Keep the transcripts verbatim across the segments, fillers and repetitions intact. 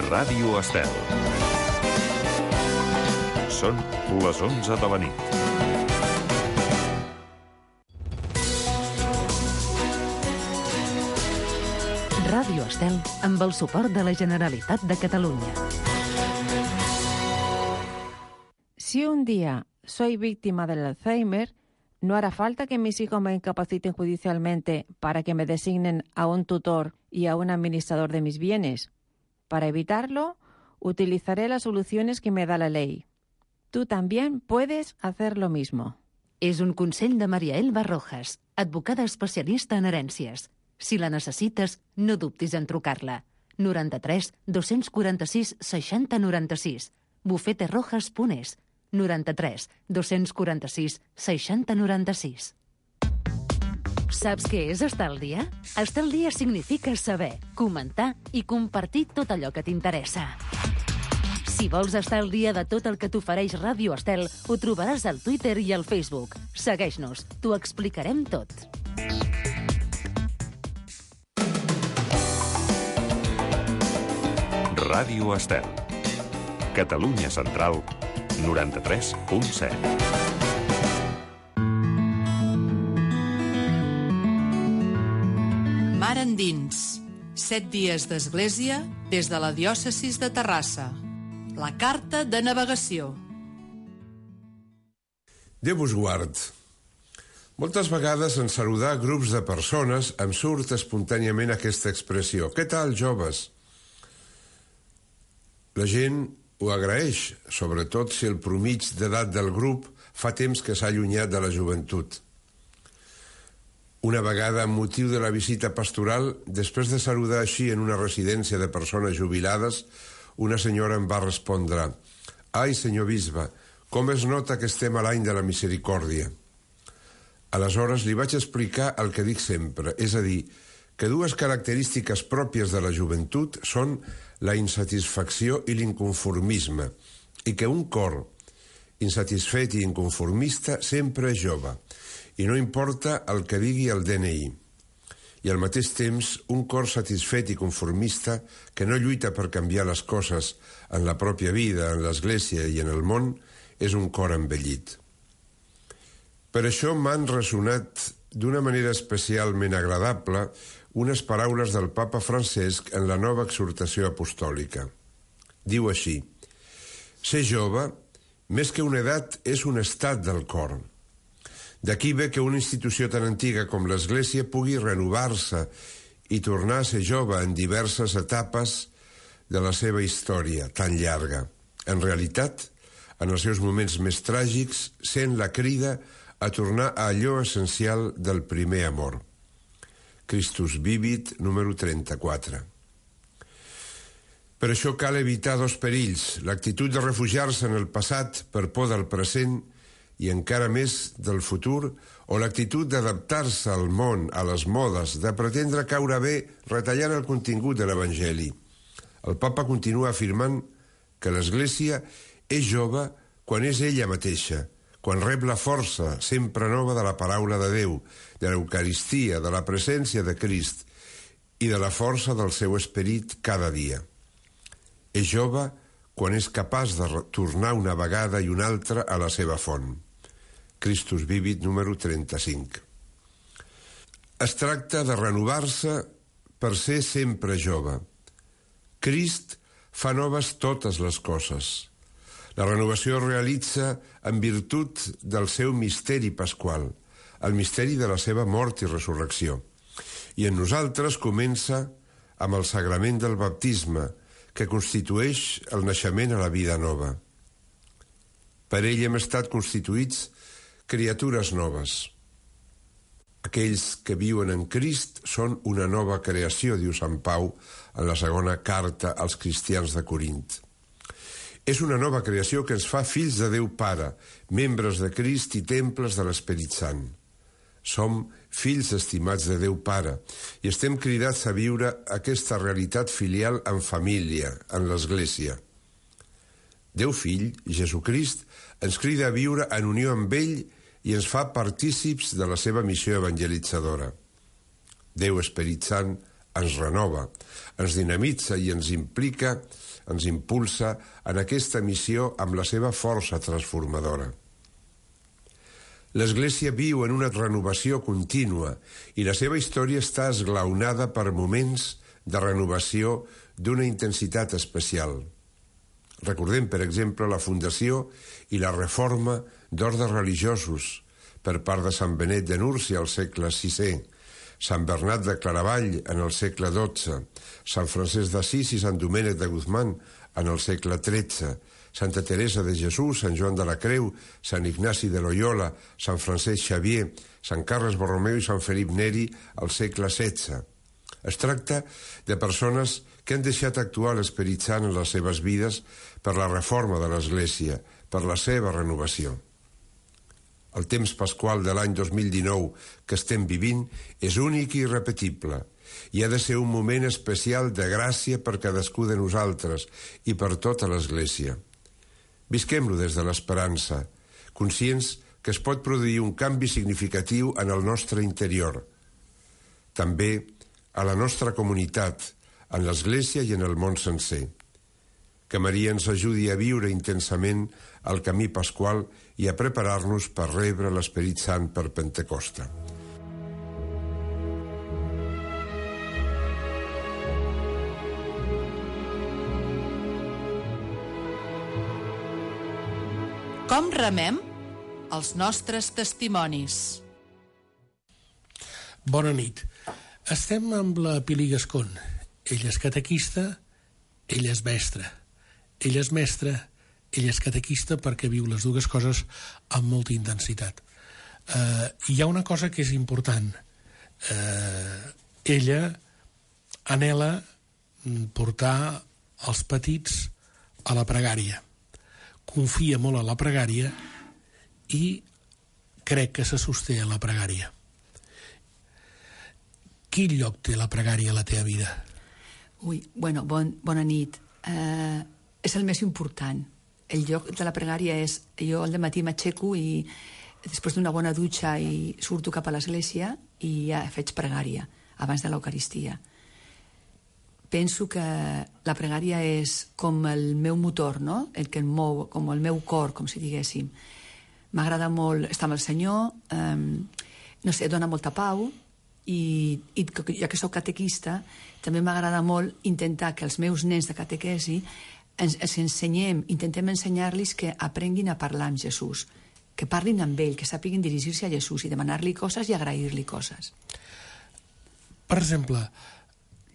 Ràdio Estel. Són les onze de la nit. Ràdio Estel, amb el suport de la Generalitat de Catalunya. Si un día soy víctima del Alzheimer, no hará falta que mis hijos me incapaciten judicialmente para que me designen a un tutor y a un administrador de mis bienes. Para evitarlo, utilizaré las soluciones que me da la ley. Tú también puedes hacer lo mismo. És un consell de Maria Elba Rojas, advocada especialista en herències. Si la necessites, no dubtis en trucar-la. noranta-tres dos-cents quaranta-sis seixanta noranta-sis. bufeterojas punt es. noranta-tres dos-cents quaranta-sis seixanta noranta-sis. Saps què és estar al dia? Estar al dia significa saber, comentar i compartir tot allò que t'interessa. Si vols estar al dia de tot el que t'ofereix Ràdio Estel, ho trobaràs al Twitter i al Facebook. Segueix-nos, t'ho explicarem tot. Ràdio Estel. Catalunya Central, noranta-tres punt set. Mar endins. Set dies d'església des de la diòcesis de Terrassa. La carta de navegació. Déu vos guard. Moltes vegades en saludar grups de persones em surt espontàniament aquesta expressió. Què tal, joves? La gent ho agraeix, sobretot si el promig d'edat del grup fa temps que s'ha allunyat de la joventut. Una vegada, amb motiu de la visita pastoral, després de saludar així en una residència de persones jubilades, una senyora em va respondre: «Ai, senyor bisbe, com es nota que estem a l'any de la misericòrdia». Aleshores li vaig explicar el que dic sempre, és a dir, que dues característiques pròpies de la joventut són la insatisfacció i l'inconformisme, i que un cor insatisfet i inconformista sempre és jove, i no importa el que digui el D N I. I al mateix temps, un cor satisfet i conformista que no lluita per canviar les coses en la pròpia vida, en l'Església i en el món, és un cor envellit. Per això m'han ressonat d'una manera especialment agradable unes paraules del papa Francesc en la nova exhortació apostòlica. Diu així: «Ser jove, més que una edat, és un estat del cor». D'aquí ve que una institució tan antiga com l'Església pugui renovar-se i tornar a ser jove en diverses etapes de la seva història tan llarga. En realitat, en els seus moments més tràgics, sent la crida a tornar a allò essencial del primer amor. Christus Vivit, número trenta-quatre. Per això cal evitar dos perills: l'actitud de refugiar-se en el passat per por del present i encara més del futur, o l'actitud d'adaptar-se al món, a les modes, de pretendre caure bé retallant el contingut de l'Evangeli. El papa continua afirmant que l'Església és jove quan és ella mateixa, quan rep la força sempre nova de la paraula de Déu, de l'Eucaristia, de la presència de Crist i de la força del seu esperit cada dia. És jove quan és capaç de tornar una vegada i una altra a la seva font. Christus Vivit, número trenta-cinc. Es tracta de renovar-se per ser sempre jove. Crist fa noves totes les coses. La renovació es realitza en virtut del seu misteri pasqual, el misteri de la seva mort i resurrecció. I en nosaltres comença amb el sagrament del baptisme, que constitueix el naixement a la vida nova. Per ell hem estat constituïts criatures noves. Aquells que viuen en Crist són una nova creació, diu Sant Pau en la segona carta als cristians de Corint. És una nova creació que ens fa fills de Déu Pare, membres de Crist i temples de l'Esperit Sant. Som fills estimats de Déu Pare i estem cridats a viure aquesta realitat filial en família, en l'Església. Déu Fill, Jesucrist, ens crida a viure en unió amb ell i ens fa partícips de la seva missió evangelitzadora. Déu Esperit Sant, ens renova, ens dinamitza i ens implica, ens impulsa en aquesta missió amb la seva força transformadora. L'Església viu en una renovació contínua i la seva història està esglaonada per moments de renovació d'una intensitat especial. Recordem, per exemple, la fundació i la reforma d'ordes religiosos per part de Sant Benet de Núrcia al segle sisè, Sant Bernat de Claravall en el segle dotze, Sant Francesc d'Assís i Sant Domènec de Guzmán en el segle tretze, Santa Teresa de Jesús, Sant Joan de la Creu, Sant Ignasi de Loyola, Sant Francesc Xavier, Sant Carles Borromeu i Sant Felip Neri al segle setze. Es tracta de persones que han deixat actuar l'Esperit Sant en les seves vides per la reforma de l'Església, per la seva renovació. El temps pasqual de l'any dos mil dinou que estem vivint és únic i irrepetible i ha de ser un moment especial de gràcia per cadascú de nosaltres i per tota l'Església. Visquem-lo des de l'esperança, conscients que es pot produir un canvi significatiu en el nostre interior. També a la nostra comunitat, en l'Església i en el món sencer. Que Maria ens ajudi a viure intensament el camí pasqual i a preparar-nos per rebre l'Esperit Sant per Pentecosta. Com remem els nostres testimonis? Bona nit. Estem amb la Pili Gascon. Ella és catequista, ella és mestra. Ella és mestra, ella és catequista perquè viu les dues coses amb molta intensitat. Uh, hi ha una cosa que és important. Uh, ella anhela portar els petits a la pregària. Confia molt a la pregària i crec que se sosté a la pregària. Quin lloc té la pregària a la teva vida? Ui, bueno, bon, bona nit. Uh, és el més important. El lloc de la pregària és... Jo al dematí m'aixeco i després d'una bona dutxa i surto cap a l'església i ja faig pregària abans de l'Eucaristia. Penso que la pregària és com el meu motor, no? El que em mou, com el meu cor, com si diguéssim. M'agrada molt estar amb el Senyor, um, no sé, dona molta pau, i, i ja que soc catequista, també m'agrada molt intentar que els meus nens de catequesi ens, ens ensenyem, intentem ensenyar-los que aprenguin a parlar amb Jesús, que parlin amb ell, que sàpiguen dirigir-se a Jesús i demanar-li coses i agrair-li coses. Per exemple,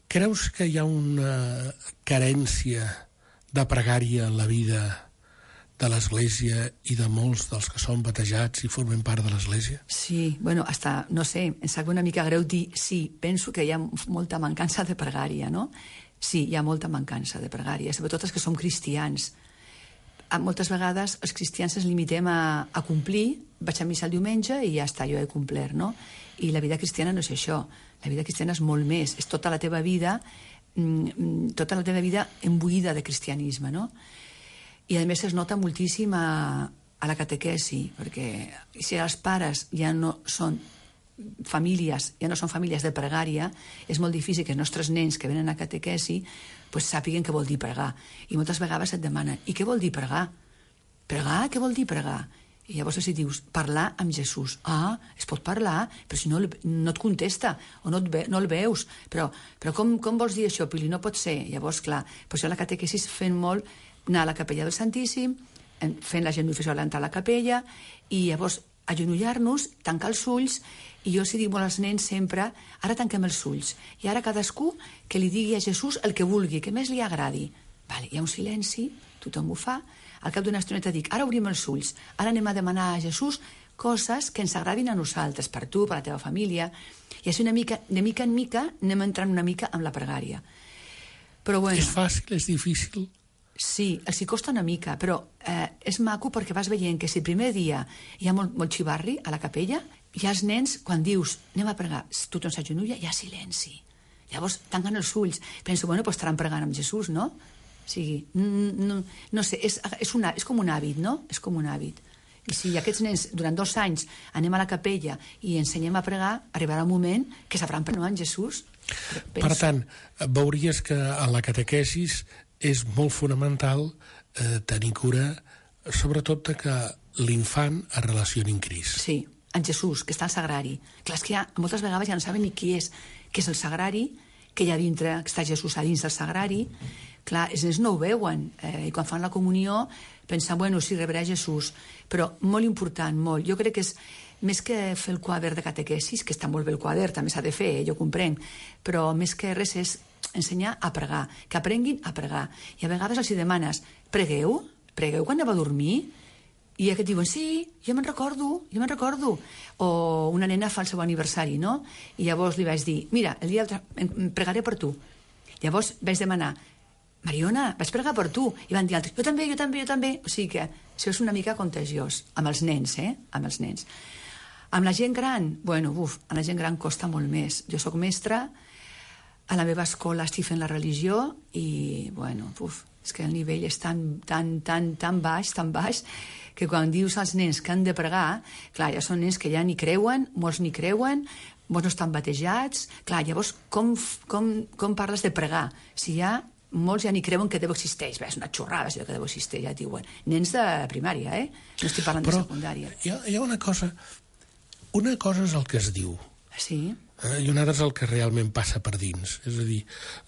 creus que hi ha una carència de pregària en la vida de l'Església i de molts dels que són batejats i formen part de l'Església? Sí, bueno, hasta, no sé, em sap una mica greu dir sí, penso que hi ha molta mancança de pregària, no? Sí, hi ha molta mancança de pregària, sobretot els que som cristians. Moltes vegades els cristians ens limitem a, a complir, vaig a missa el diumenge i ja està, jo he complert, no? I la vida cristiana no és això, la vida cristiana és molt més, és tota la teva vida, tota la teva vida embuïda de cristianisme, no? I a més es nota moltíssim a, a la catequesi, perquè si els pares ja no són famílies, ja no són famílies de pregària, és molt difícil que els nostres nens que venen a catequesi pues, sàpiguen què vol dir pregar. I moltes vegades et demanen, i què vol dir pregar? Pregar? Què vol dir pregar? I llavors si dius, parlar amb Jesús. Ah, es pot parlar, però si no, no et contesta, o no, et ve, no el veus. Però, però com, com vols dir això, Pili? No pot ser. Llavors, clar, per això la catequesi fent molt anar a la capella del Santíssim, fent la genuflexió a l'entrar a la capella, i llavors agenollar-nos, tancar els ulls, i jo si dic molt als nens sempre, ara tanquem els ulls, i ara cadascú que li digui a Jesús el que vulgui, que més li agradi. Vale, hi ha un silenci, tothom ho fa, al cap d'una estoneta dic, ara obrim els ulls, ara anem a demanar a Jesús coses que ens agradin a nosaltres, per tu, per la teva família, i així una mica, de mica en mica anem entrant una mica amb la pregària. Però bueno... És fàcil, és difícil? Sí, els hi costa una mica, però eh, és maco perquè vas veient que si el primer dia hi ha molt, molt xivarri a la capella, hi ha els nens, quan dius anem a pregar, tothom s'agenolla, hi ha silenci. Llavors tanquen els ulls. Penso, bueno, doncs estaran pregant amb Jesús, no? O sigui, no, no sé, és, és, una, és com un hàbit, no? És com un hàbit. I si aquests nens, durant dos anys, anem a la capella i ensenyem a pregar, arribarà un moment que sabran pregar amb Jesús. Penso. Per tant, veuries que a la catequesis és molt fonamental eh, tenir cura, sobretot de que l'infant es relacioni amb Crist. Sí, en Jesús, que està al sagrari. Clar, és que ja, moltes vegades ja no saben ni qui és, què és el sagrari, que hi ha dintre, que està Jesús a dins del sagrari. Clar, els nens no ho veuen, eh, i quan fan la comunió pensen, bueno, sí, rebrà Jesús, però molt important, molt. Jo crec que és més que fer el quadern de catequesis, que està molt bé el quadern, també s'ha de fer, eh, jo comprenc, però més que res és ensenyar a pregar, que aprenguin a pregar. I a vegades els hi demanes, pregueu? Pregueu quan aneu a dormir? I aquests diuen, sí, jo me'n recordo, jo me'n recordo. O una nena fa el seu aniversari, no? I llavors li vaig dir, mira, el dia del... pregaré per tu. Llavors vaig demanar, Mariona, vaig pregar per tu. I van dir altres, jo també, jo també, jo també. O sigui que això és una mica contagiós, amb els nens, eh? Amb els nens. Amb la gent gran, bueno, uf, a la gent gran costa molt més. Jo sóc mestra, a la meva escola estic fent la religió i, bueno, uf, és que el nivell és tan, tan, tan, tan baix, tan baix, que quan dius als nens que han de pregar, clar, ja són nens que ja ni creuen, molts ni creuen, molts no estan batejats, clar, llavors com, com, com parles de pregar? Si ja molts ja ni creuen que Déu existeix. Bé, és una xorrada, això que Déu existeix, ja diuen. Nens de primària, eh? No estic parlant Però de secundària. Hi ha, hi ha una cosa... Una cosa és el que es diu. Sí. Eh, I una altra és el que realment passa per dins. És a dir,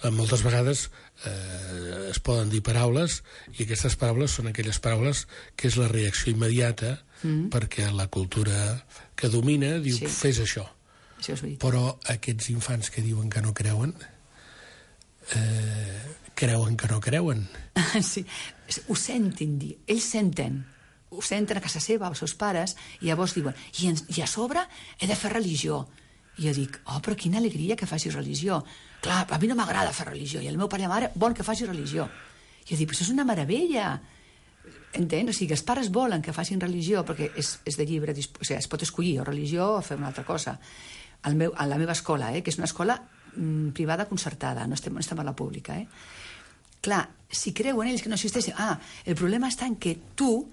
eh, moltes vegades eh, es poden dir paraules i aquestes paraules són aquelles paraules que és la reacció immediata mm. perquè la cultura que domina diu, sí. Fes això. Això és veritat. Però aquests infants que diuen que no creuen... Eh, creuen que no creuen. Sí, ho sentin dir, ells senten, ho senten a casa seva, els seus pares, i llavors diuen, i, en, i a sobre he de fer religió. I jo dic, oh, però quina alegria que facis religió. Clar, a mi no m'agrada fer religió, i el meu pare i la mare volen que faci religió. I jo dic, però això és una meravella. Entens? O sigui, els pares volen que facin religió, perquè és, és de llibre, o sigui, es pot escollir o religió o fer una altra cosa. Al meu, a la meva escola, eh, que és una escola mm, privada concertada, no estem, no estem a la pública, eh? Clar, si creuen ells que no existeixen... Ah, el problema està en que tu,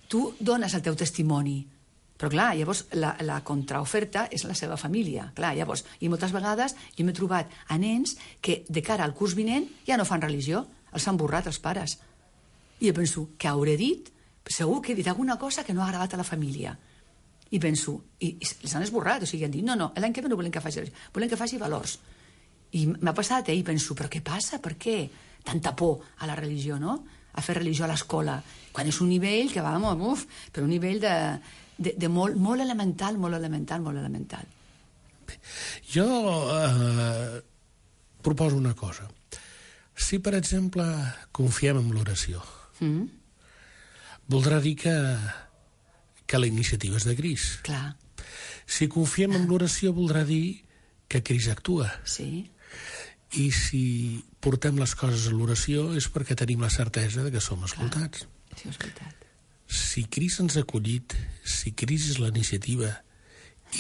tu dones el teu testimoni. Però clar, llavors la, la contraoferta és la seva família. Clar, llavors, i moltes vegades jo m'he trobat a nens que de cara al curs vinent ja no fan religió, els han borrat els pares. I jo penso, què hauré dit? Segur que he dit alguna cosa que no ha agradat a la família. I penso, i, i els han esborrat, o sigui, han dit, no, no, l'any que ve no volem que faci religió, volem que faci valors. I m'ha passat, eh, i penso, però què passa? Per què? Tanta por a la religió, no? A fer religió a l'escola. Quan és un nivell que va, uf, per un nivell de, de, de molt, molt elemental, molt elemental, molt elemental. Jo eh, proposo una cosa. Si, per exemple, confiem en l'oració, mm. voldrà dir que, que la iniciativa és de Crist. Clar. Si confiem en l'oració, voldrà dir que Crist actua. Sí. I si portem les coses a l'oració és perquè tenim la certesa de que som escoltats. Clar, sí, és veritat. Si Crist ens ha acollit, si Crist és la iniciativa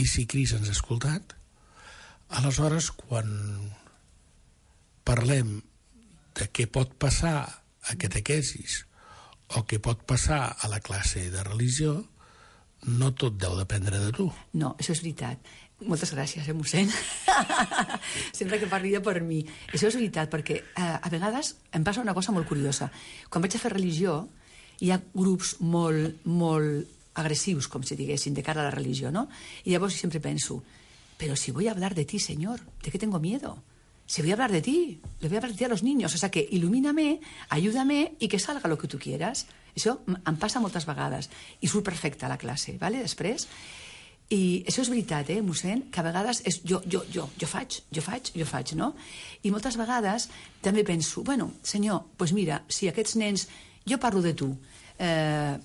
i si Crist ens ha escoltat, aleshores quan parlem de què pot passar a catequesis o què pot passar a la classe de religió, no tot deu dependre de tu. No, això és veritat. Moltes gràcies, eh, mossèn? Sempre que parli per mi. Això és veritat, perquè eh, a vegades em passa una cosa molt curiosa. Quan vaig a fer religió, hi ha grups molt, molt agressius, com si diguessin, de cara a la religió, no? I llavors sempre penso, però si voy a hablar de ti, Señor, ¿de qué tengo miedo? Si voy a hablar de ti, le voy a hablar de ti a los niños. O sea que ilumíname, ayúdame y que salga lo que tu quieras. Això em passa moltes vegades. I surt perfecte a la classe, ¿vale? Després... I això és veritat, eh, mossèn, que a vegades és jo, jo, jo, jo faig, jo faig, jo faig, no? I moltes vegades també penso, bueno, senyor, doncs pues mira, si aquests nens, jo parlo de tu, eh,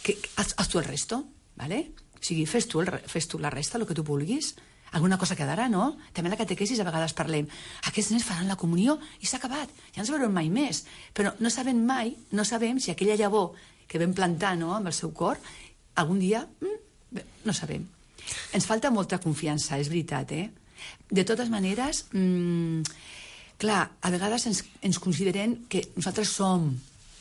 que, haz, haz tu el resto, ¿vale? O sigui, fes tu, el, fes tu la resta, el que tu vulguis, alguna cosa quedarà, no? També a la catequesis a vegades parlem, aquests nens faran la comunió i s'ha acabat, ja ens veurem mai més, però no sabem mai, no sabem si aquella llavor que vam plantar, no?, amb el seu cor, algun dia, mm, no sabem. Ens falta molta confiança, és veritat, eh? De totes maneres, mmm, clar, a vegades ens, ens considerem que nosaltres som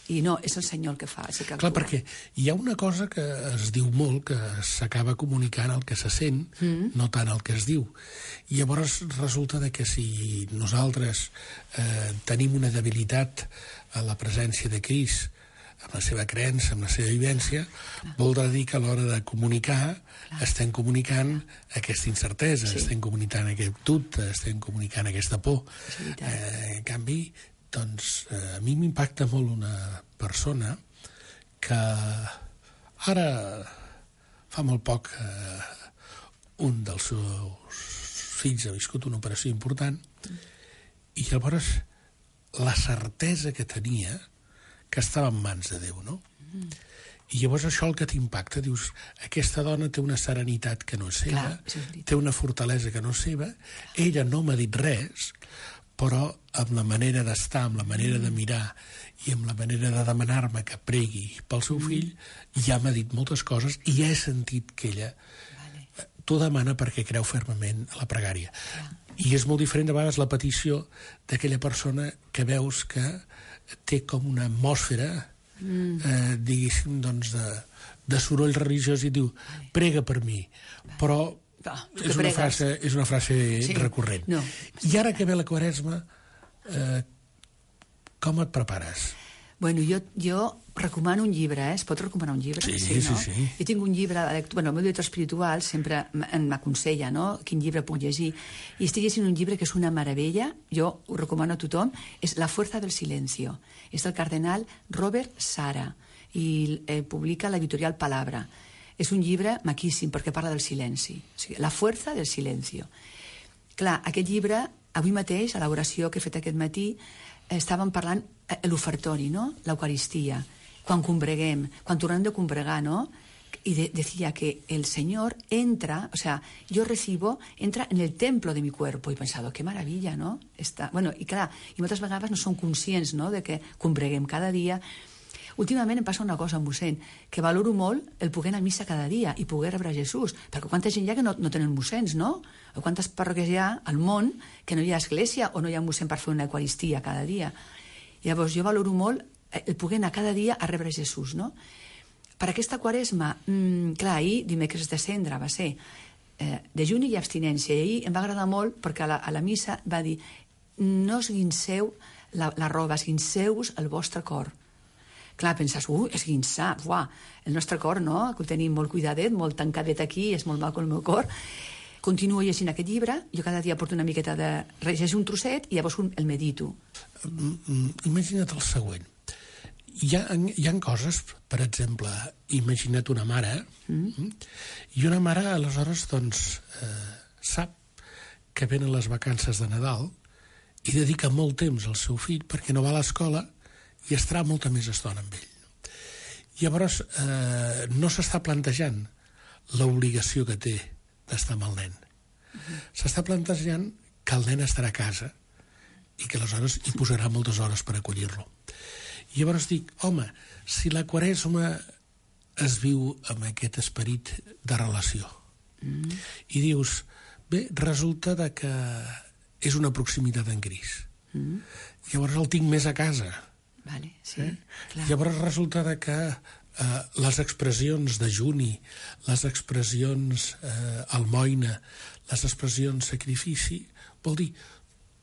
I no, és el Senyor el que fa, és el que actua. Clar, perquè hi ha una cosa que es diu molt, que s'acaba comunicant el que se sent, mm. no tant el que es diu. I llavors resulta de que si nosaltres eh, tenim una debilitat a la presència de Crist, amb la seva creença, amb la seva vivència, clar, voldrà dir que a l'hora de comunicar clar, estem comunicant aquesta incertesa, sí, estem comunicant aquest dubte, estem comunicant aquesta por. Eh, en canvi, doncs, eh, a mi m'impacta molt una persona que ara fa molt poc eh, un dels seus fills ha viscut una operació important i llavors la certesa que tenia que estava en mans de Déu, no? Mm. I llavors això el que t'impacta, dius, aquesta dona té una serenitat que no és seva, clar, sí, té una fortalesa que no és seva, ella no m'ha dit res, però amb la manera d'estar, amb la manera de mirar i amb la manera de demanar-me que pregui pel seu fill, ja m'ha dit moltes coses i ja he sentit que ella vale, t'ho demana perquè creu fermament a la pregària. Ja. I és molt diferent, de vegades, la petició d'aquella persona que veus que té com una atmosfera, mm. eh, diguéssim, doncs, de, de soroll religiós i diu, prega per mi, però ah, és, una frase, és una frase sí. recurrent. No. I ara que ve la Quaresma, eh, com et prepares? Bueno, jo, jo recomano un llibre, eh? Es pot recomanar un llibre? Sí, sí, no? sí, sí. Jo tinc un llibre, bueno, el meu director espiritual sempre m'aconsella, no?, quin llibre puc llegir. I estic llegint un llibre que és una meravella, jo ho recomano a tothom, és La fuerza del silencio. És del cardenal Robert Sara i eh, publica l'editorial Palabra. És un llibre maquíssim perquè parla del silenci. O sigui, La fuerza del silencio. Clar, aquest llibre, avui mateix, a l'oració que he fet aquest matí, estàvem parlant l'ofertori, no?, l'Eucaristia, quan combreguem, quan tornem de combregar, no?, y de, decía que el Señor entra, o sea, yo recibo, entra en el templo de mi cuerpo. Y he pensado, qué maravilla, no? Està, bueno, i clar, i moltes vegades no som conscients, no?, de que combreguem cada dia. Últimament em passa una cosa, mossèn, que valoro molt el poder anar a missa cada dia i poder rebre Jesús, perquè quanta gent hi ha que no, no tenen mossèns, no? O quantes parròquies hi ha al món que no hi ha església o no hi ha mossèn per fer una eucaristia cada dia. Llavors jo valoro molt el poder anar cada dia a rebre Jesús, no? Per aquesta Quaresma, mmm, clar, ahir, dimecres de cendra, va ser eh, dejuni i abstinència, i ahir em va agradar molt perquè a la, a la missa va dir no esguinceu la, la roba, esguinceu-vos el vostre cor. Clar, penses, ui, esguinçar, uah, el nostre cor, no?, que ho tenim molt cuidadet, molt tancadet aquí, és molt maco el meu cor. Continuo llegint aquest llibre, jo cada dia porto una miqueta de... llegeixo un trosset i llavors un, el medito. Imagina't el següent. Hi ha, hi ha coses, per exemple, imagina't una mare, mm. i una mare, aleshores, doncs, eh, sap que venen les vacances de Nadal i dedica molt temps al seu fill perquè no va a l'escola i estarà molta més estona amb ell. Llavors, eh, no s'està plantejant l'obligació que té d'estar amb el nen. Mm. S'està plantejant que el nen estarà a casa i que aleshores hi posarà moltes hores per acollir-lo. I llavors dic, home, si la Quaresma es viu amb aquest esperit de relació, mm. i dius, bé, resulta de que és una proximitat en Crist. Mm. Llavors el tinc més a casa. Vale, sí, eh? clar. Llavors resulta de que eh, les expressions de juni, les expressions eh, almoina, les expressions sacrifici, vol dir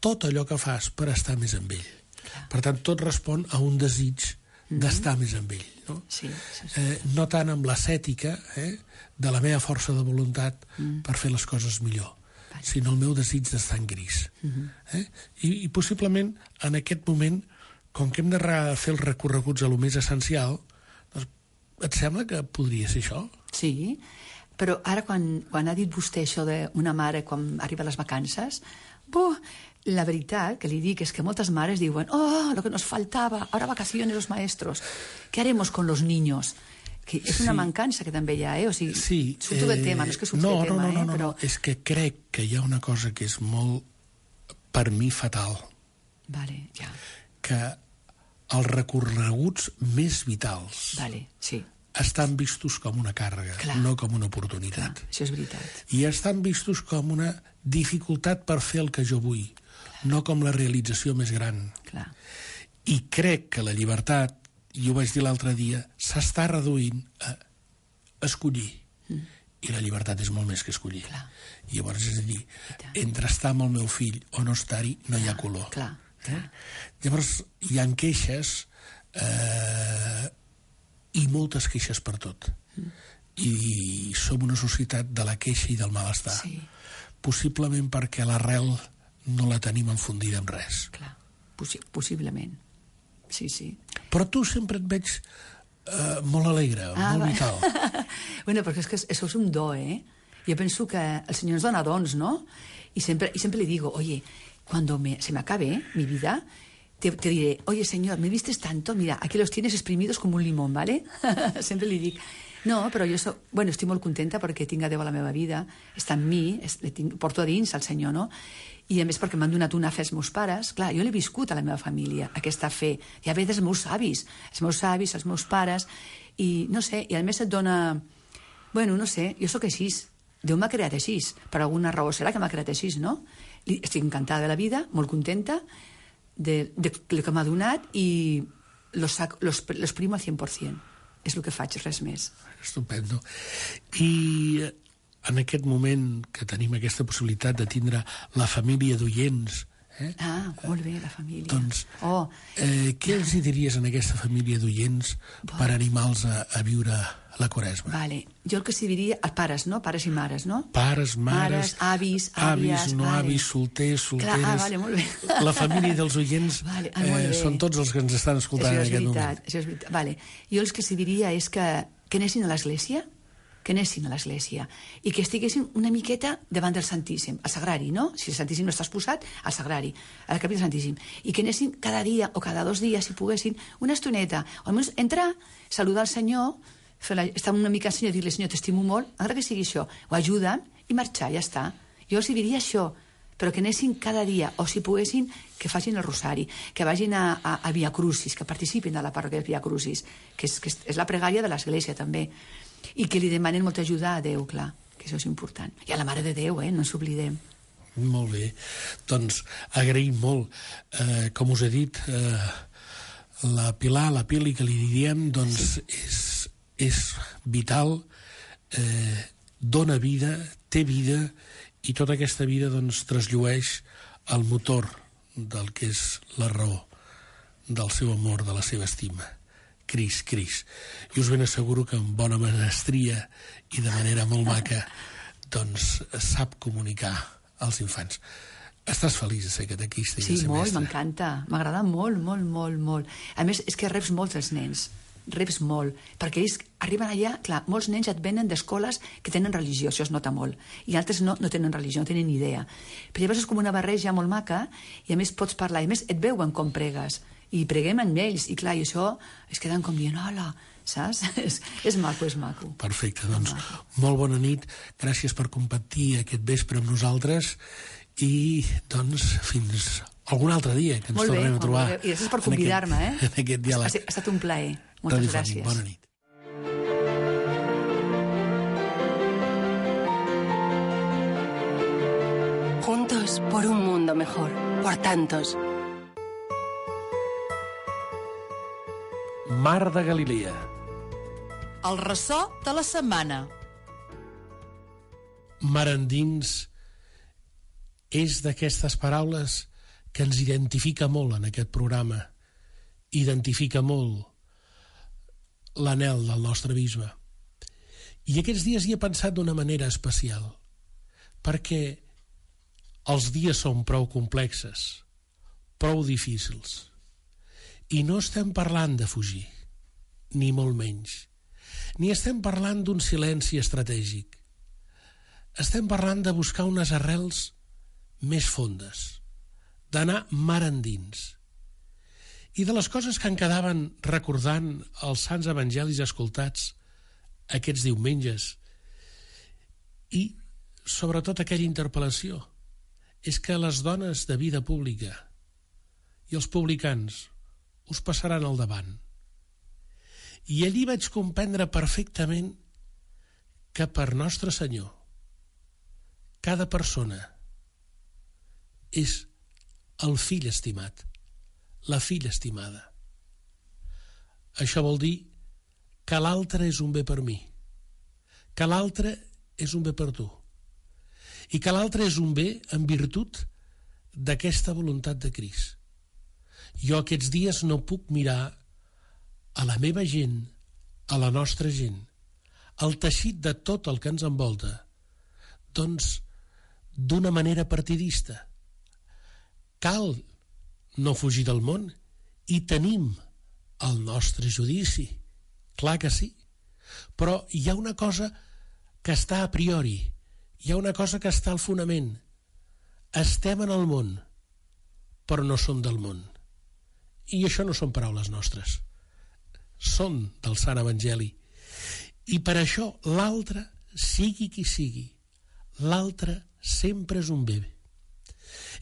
tot allò que fas per estar més amb ell. Clar. Per tant, tot respon a un desig mm-hmm. d'estar més amb ell. No, sí, sí, sí. Eh, no tant amb l'ascètica eh, de la meva força de voluntat mm. per fer les coses millor, vale. Sinó el meu desig d'estar en Crist. Mm-hmm. Eh? I, I possiblement en aquest moment, com que hem de fer els recorreguts a lo més essencial, doncs, et sembla que podria ser això? Sí, però ara quan, quan ha dit vostè això d'una mare quan arriba a les vacances, buh, la veritat que li dic és que moltes mares diuen oh, lo que nos faltaba, ahora vacaciones los maestros, ¿qué haremos con los niños? Que és una sí. mancança que també hi ha, eh? O sigui, sí, surto eh, del tema, no és que surto no, del tema, no, no, eh? No, però... no, és que crec que hi ha una cosa que és molt, per mi, fatal. Vale, ja. Que els recorreguts més vitals vale, sí. estan vistos com una càrrega, clar, no com una oportunitat. Clar, això és veritat. I estan vistos com una dificultat per fer el que jo vull, clar, no com la realització més gran. Clar. I crec que la llibertat i ho vaig dir l'altre dia, s'està reduint a escollir. Mm. I la llibertat és molt més que escollir. Clar. I llavors, és a dir, entre estar amb el meu fill o no estar-hi, no hi ha color. Clar, clar. Eh? Llavors, hi ha queixes eh, i moltes queixes per tot. Mm. I som una societat de la queixa i del malestar. Sí. Possiblement perquè l'arrel no la tenim enfundida amb res. Clar, Possi possiblement. Sí, sí. Però tu sempre et veig Uh, molt alegre, ah, molt vital. Bueno, perquè és que això és un do, eh? Jo penso que el Senyor ens dona dons, ¿no? Y siempre, y siempre le digo, oye, cuando me, se me acabe mi vida, te, te diré, oye, Señor, me vistes tanto, mira, aquí los tienes exprimidos como un limón, ¿vale? Sempre li dic. No, però jo so, bueno, estic molt contenta perquè tinc a Déu a la meva vida, està en mi, es, tinc, porto a dins al Senyor, no? I a més perquè m'han donat una fe els meus pares. Clar, jo l'he viscut a la meva família, aquesta fe. Ja ve dels meus avis, els meus avis, els meus pares, i no sé, i a més et dona... Bueno, no sé, jo sóc així. Déu m'ha creat així. Per alguna raó serà que m'ha creat així, no? Estic encantada de la vida, molt contenta de, de el que m'ha donat i los, los, los primo al cent per cent. És el que faig, res més. Estupendo. I en aquest moment que tenim aquesta possibilitat de tindre la família d'oients... Eh? Ah, molt bé, la família. Doncs, oh. eh, què els hi diries a aquesta família d'oients bon. per animar-los a, a viure la Quaresma? Vale. Jo el que s'hi diria als pares, no? Pares i mares, no? Pares, mares... Mares, avis, àvies... Avis, no vale. avis, solters, solteres... Clar, ah, vale, molt bé. La família dels oients vale. ah, eh, són tots els que ens estan escoltant en aquest veritat, moment. Això és veritat, vale. Jo el que s'hi diria és que, que anessin a l'església, que anessin a l'església i que estiguessin una miqueta davant del Santíssim, al Sagrari, no? Si el Santíssim no està exposat, al Sagrari, a la capella del Santíssim. I que anessin cada dia o cada dos dies, si poguessin, una estoneta, o almenys entrar, saludar al Senyor, fer la, estar una mica al Senyor i dir-li, Senyor, t'estimo molt, encara que sigui això, o ajuda'm i marxar, ja està. Jo els diria això, però que anessin cada dia, o si poguessin, que facin el rosari, que vagin a, a, a Via Crucis, que participin a la parròquia de Via Crucis, que és, que és, és la pregària de l'església també, i que li demanen molta ajuda a Déu, clar, que això és important. I a la Mare de Déu, eh, no ens oblidem. Molt bé. Doncs agraïm molt. Eh, com us he dit, eh, la Pilar, la Pili, que li diem, doncs sí. és, és vital, eh, dona vida, té vida, i tota aquesta vida doncs trasllueix el motor del que és la raó del seu amor, de la seva estima. Cris, Cris. I us ben asseguro que amb bona menestria i de manera molt maca doncs sap comunicar als infants. Estàs feliç de ser catequista i sí, de ser molt, mestre? m'encanta. M'agrada molt, molt, molt, molt. A més, és que reps molts els nens. Reps molt. Perquè ells arriben allà, clar, molts nens et venen d'escoles que tenen religió, això es nota molt. I altres no, no tenen religió, no tenen ni idea. Però llavors és com una barreja molt maca i a més pots parlar. I a més et veuen com pregues. I preguem amb ells, i clar, i això es queden com dient, hola, saps? és, és maco, és maco. Perfecte, doncs molt bona nit, gràcies per compartir aquest vespre amb nosaltres i doncs fins algun altre dia que ens molt bé, tornem a trobar. Molt bé, i gràcies per convidar-me, eh? En aquest diàleg. Ha, ha estat un plaer, moltes gràcies. Bona nit. Juntos por un mundo mejor, por tantos. Mar de Galilea. El ressò de la setmana. Mar endins és d'aquestes paraules que ens identifica molt en aquest programa. Identifica molt l'anhel del nostre bisbe. I aquests dies hi he pensat d'una manera especial, perquè els dies són prou complexes, prou difícils. I no estem parlant de fugir, ni molt menys. Ni estem parlant d'un silenci estratègic. Estem parlant de buscar unes arrels més fondes, d'anar mar endins. I de les coses que en quedaven recordant els sants evangelis escoltats aquests diumenges. I, sobretot, aquella interpel·lació. És que les dones de vida pública i els publicans us passaran al davant. I allí vaig comprendre perfectament que per Nostre Senyor cada persona és el fill estimat, la filla estimada. això vol dir que l'altre és un bé per mi, que l'altre és un bé per tu, i que l'altre és un bé en virtut d'aquesta voluntat de Crist. Jo aquests dies no puc mirar a la meva gent, a la nostra gent, al teixit de tot el que ens envolta, doncs d'una manera partidista. Cal no fugir del món i tenim el nostre judici, clar que sí, però hi ha una cosa que està a priori, hi ha una cosa que està al fonament. Estem en el món, però no som del món. I això no són paraules nostres, són del Sant Evangeli. I per això l'altre, sigui qui sigui, l'altre sempre és un bé.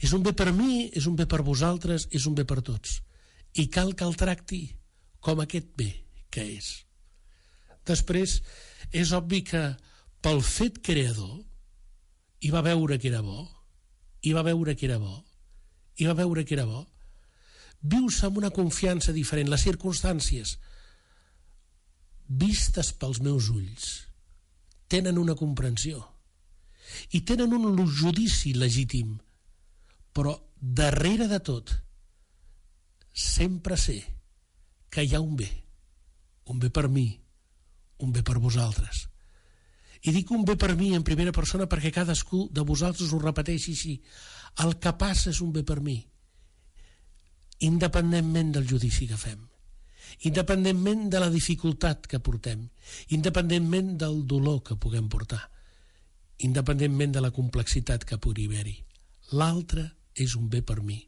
És un bé per mi, és un bé per vosaltres, és un bé per tots. I cal que el tracti com aquest bé que és. Després, és obvi que pel fet creador hi va veure que era bo, hi va veure que era bo, hi va veure que era bo. Vius amb una confiança diferent. Les circumstàncies, vistes pels meus ulls, tenen una comprensió i tenen un judici legítim, però darrere de tot sempre sé que hi ha un bé, un bé per mi, un bé per vosaltres. I dic un bé per mi en primera persona perquè cadascú de vosaltres ho repeteixi així. El que passa és un bé per mi, independentment del judici que fem, independentment de la dificultat que portem, independentment del dolor que puguem portar, independentment de la complexitat que pugui haver-hi. L'altre és un bé per mi.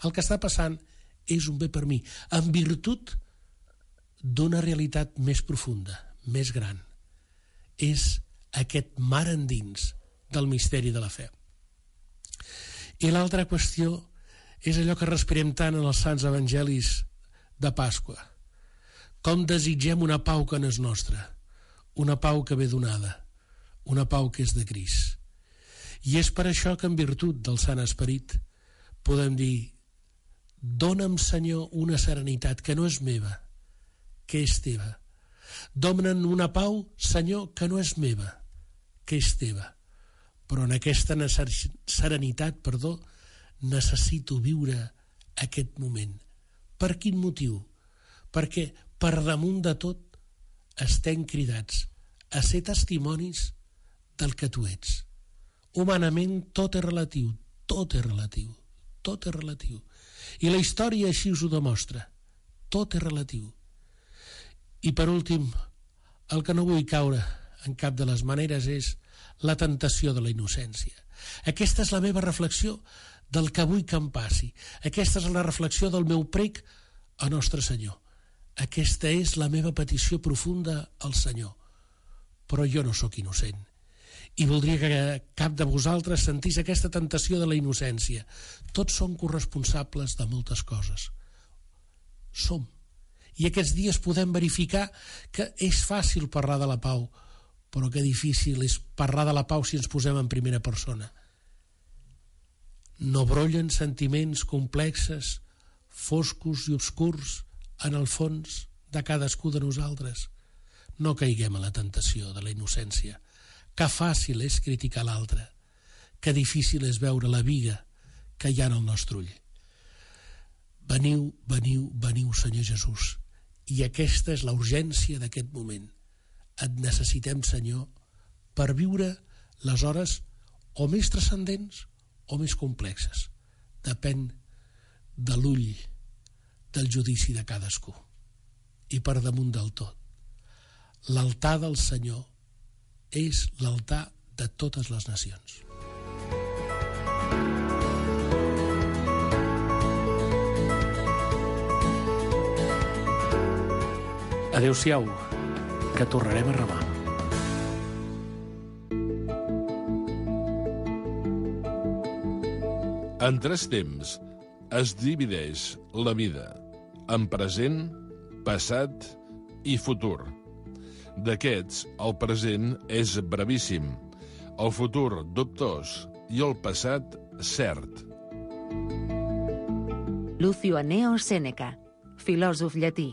El que està passant és un bé per mi, en virtut d'una realitat més profunda, més gran. És aquest mar endins del misteri de la fe. I l'altra qüestió és allò que respirem tant en els sants evangelis de Pasqua. Com desitgem una pau que no és nostra, una pau que ve donada, una pau que és de Crist. I és per això que en virtut del Sant Esperit podem dir: dona'm, Senyor, una serenitat que no és meva, que és teva. Dona'm una pau, Senyor, que no és meva, que és teva. Però en aquesta serenitat, perdó, necessito viure aquest moment. Per quin motiu? Perquè per damunt de tot estem cridats a ser testimonis del que tu ets. Humanament tot és relatiu, tot és relatiu, tot és relatiu. I la història així us ho demostra. Tot és relatiu. I per últim, el que no vull caure en cap de les maneres és la tentació de la innocència. Aquesta és la meva reflexió del que vull que em passi. Aquesta és la reflexió del meu prec a Nostre Senyor. Aquesta és la meva petició profunda al Senyor. Però jo no sóc innocent. I voldria que cap de vosaltres sentís aquesta tentació de la innocència. Tots som corresponsables de moltes coses. Som. I aquests dies podem verificar que és fàcil parlar de la pau, però que difícil és parlar de la pau si ens posem en primera persona. No brollen sentiments complexes, foscos i obscurs en el fons de cadascú de nosaltres. No caiguem a la tentació de la innocència. Que fàcil és criticar l'altre, que difícil és veure la biga que hi ha en el nostre ull. Veniu, veniu, veniu, Senyor Jesús. I aquesta és la urgència d'aquest moment. Et necessitem, Senyor, per viure les hores o més transcendents o més complexes. Depèn de l'ull, del judici de cadascú. I per damunt del tot, l'altar del Senyor és l'altar de totes les nacions. Adéu-siau, que tornarem a remar. En tres temps es divideix la vida en present, passat i futur. D'aquests, el present és brevíssim, el futur dubtós i el passat cert. Lucio Anneo Sèneca, filòsof llatí.